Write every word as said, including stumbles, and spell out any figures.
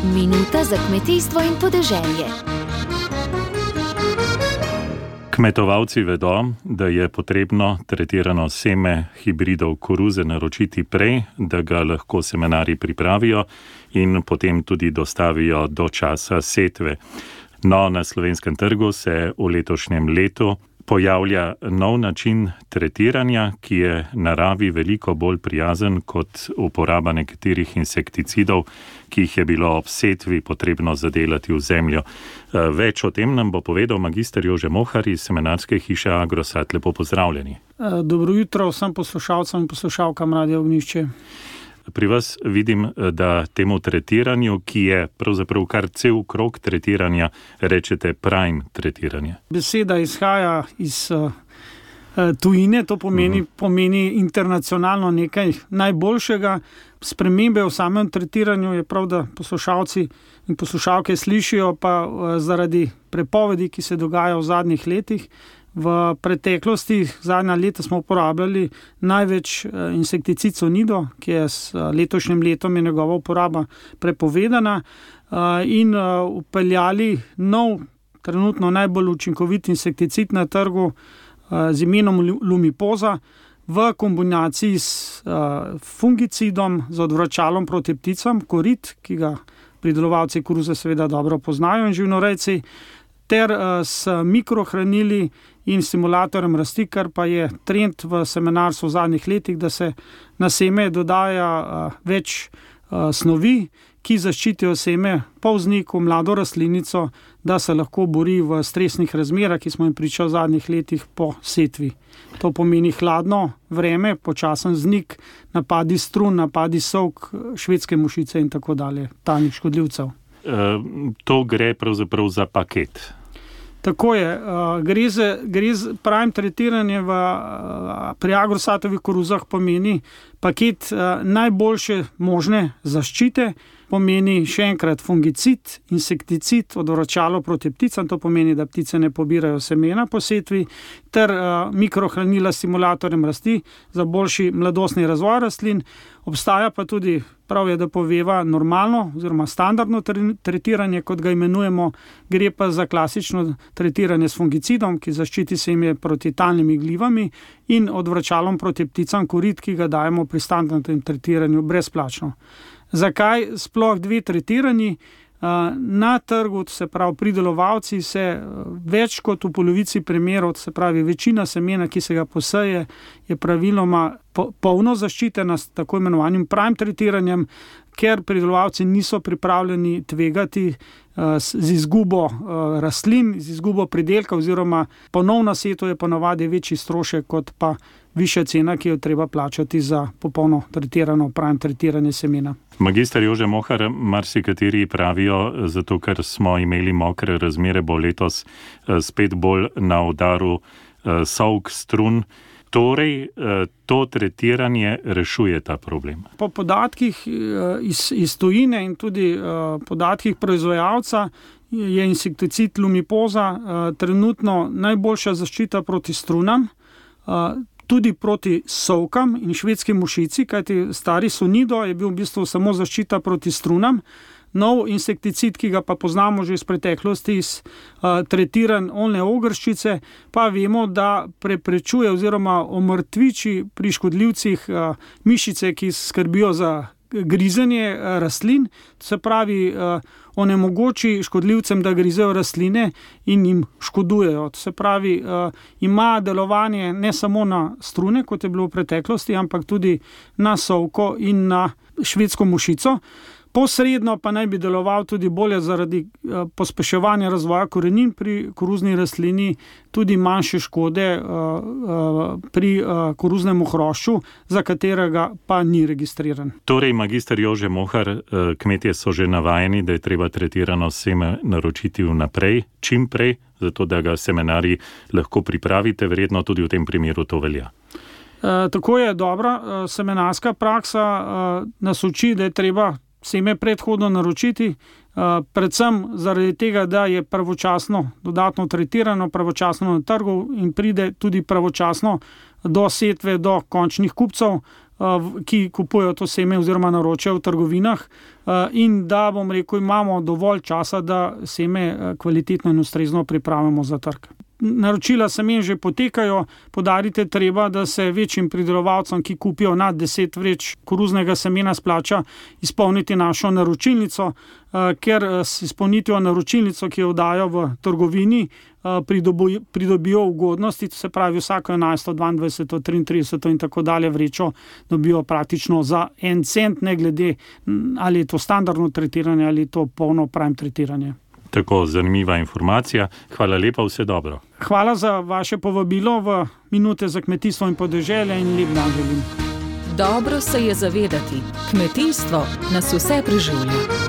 Minuta za kmetijstvo in podeželje. Kmetovalci vedo, da je potrebno tretirano seme hibridov koruze naročiti prej, da ga lahko semenarji pripravijo in potem tudi dostavijo do časa setve. No, na slovenskem trgu se v letošnjem letu pojavlja nov način tretiranja, ki je naravi veliko bolj prijazen kot uporaba nekaterih insekticidov, ki jih je bilo ob setvi potrebno zadelati v zemljo. Več o tem nam bo povedal magister Jože Mohar iz semenarske hiše Agrosat. Lepo pozdravljeni. Dobro jutro vsem poslušalcem in poslušalkam Radia Ognjišče. Pri vas vidim, da temu tretiranju, ki je pravzaprav kar cel krog tretiranja, rečete prime tretiranje. Beseda izhaja iz uh, tujine, to pomeni, uh-huh. pomeni internacionalno nekaj najboljšega. Spremembe v samem tretiranju je prav, da poslušalci in poslušalke slišijo, pa uh, zaradi prepovedi, ki se dogaja v zadnjih letih. V preteklosti, zadnja leta smo uporabljali največ insekticid Sonido, ki je s letošnjim letom je njegova uporaba prepovedana, in upeljali nov, trenutno najbolj učinkovit insekticid na trgu z imenom Lumipoza v kombinaciji s fungicidom, z odvračalom proti pticam, korit, ki ga pridelovalci koruze seveda dobro poznajo in živinorejci, ter s mikrohranili in stimulatorjem rasti, kar pa je trend v semenarstvu v zadnjih letih, da se na seme dodaja več snovi, ki zaščitijo seme, polznik, mlado rastlinico, da se lahko bori v stresnih razmerah, ki smo jim priča v zadnjih letih po setvi. To pomeni hladno vreme, počasen vznik, napadi strun, napadi sovk, švedske mušice in tako dalje, talnih škodljivcev. E, to gre pravzaprav za paket. Tako je, gre za, gre za prime tretiranje v, pri Agrosatovih koruzah pomeni paket najboljše možne zaščite, pomeni še enkrat fungicid, insekticid, odvračalo proti pticam, to pomeni, da ptice ne pobirajo semena po setvi, ter mikrohranila s stimulatorjem rasti za boljši mladostni razvoj rastlin. Obstaja pa tudi, prav je, da poveva normalno oziroma standardno tretiranje, kot ga imenujemo, gre pa za klasično tretiranje s fungicidom, ki zaščiti seme proti talnimi glivami in odvračalom proti pticam korit, ki ga dajemo pri standardnem tretiranju brezplačno. Zakaj sploh dve tretiranji? Na trgu, se pravi pridelovalci, se več kot v polovici primerov, se pravi večina semena, ki se ga poseje, je praviloma polno zaščitena s tako imenovanim prime tretiranjem, ker pridelovalci niso pripravljeni tvegati z izgubo rastlin, z izgubo pridelka oziroma ponovna setev je ponavadi večji strošek kot pa višja cena, ki jo treba plačati za popolno tretirano prime tretiranje semena. Magister Jože Mohar, marsikateri pravijo, zato ker smo imeli mokre razmere, bo letos spet bolj na udaru sovk, strun. Torej, to tretiranje rešuje ta problem. Po podatkih iz, iz tujine in tudi podatkih proizvajalca je insekticid Lumipoza trenutno najboljša zaščita proti strunam, tudi proti sovkam in švedski mušici, kajti stari Sonido je bil v bistvu samo zaščita proti strunam. Nov insekticid, ki ga pa poznamo že iz preteklosti, iz uh, tretiran oljne ogrščice, pa vemo, da preprečuje oziroma omrtviči pri škodljivcih uh, mišice, ki skrbijo za grizenje uh, rastlin, se pravi uh, onemogoči škodljivcem, da grizejo rastline in jim škodujejo. Se pravi, uh, ima delovanje ne samo na strune, kot je bilo v preteklosti, ampak tudi na sovko in na švedsko mušico. Posredno pa naj bi deloval tudi bolje zaradi uh, pospeševanja razvoja korenin pri koruzni rastlini, tudi manjše škode uh, uh, pri uh, koruznemu hrošču, za katerega pa ni registriran. Torej, magister Jože Mohar, uh, kmetje so že navajeni, da je treba tretirano seme naročiti vnaprej, čim prej, zato da ga semenarji lahko pripravite, verjetno tudi v tem primeru to velja. Uh, tako je dobra uh, semenarska praksa, uh, nas uči, da je treba seme predhodno naročiti, predvsem zaradi tega, da je pravočasno dodatno tretirano, pravočasno na trgu in pride tudi pravočasno do setve, do končnih kupcev. ki kupujejo to seme oziroma naročajo v trgovinah, in da, bom rekel, imamo dovolj časa, da seme kvalitetno in ustrezno pripravimo za trg. Naročila semen že potekajo, poudariti treba, da se večjim pridelovalcem, ki kupijo nad deset vreč koruznega semena, splača izpolniti našo naročilnico, ker s izpolnitvijo naročilnico, ki jo dajo v trgovini, pridobijo ugodnosti, to se pravi vsako enajsto, dvaindvajseto, triintrideseto in tako dalje vrečo dobijo praktično za en cent, ne glede ali je to standardno tretiranje ali je to polno prime tretiranje. Tako zanimiva informacija. Hvala lepa, vse dobro. Hvala za vaše povabilo v Minute za kmetijstvo in podeželje in lep dan želim. Dobro se je zavedati, kmetijstvo nas vse preživlja.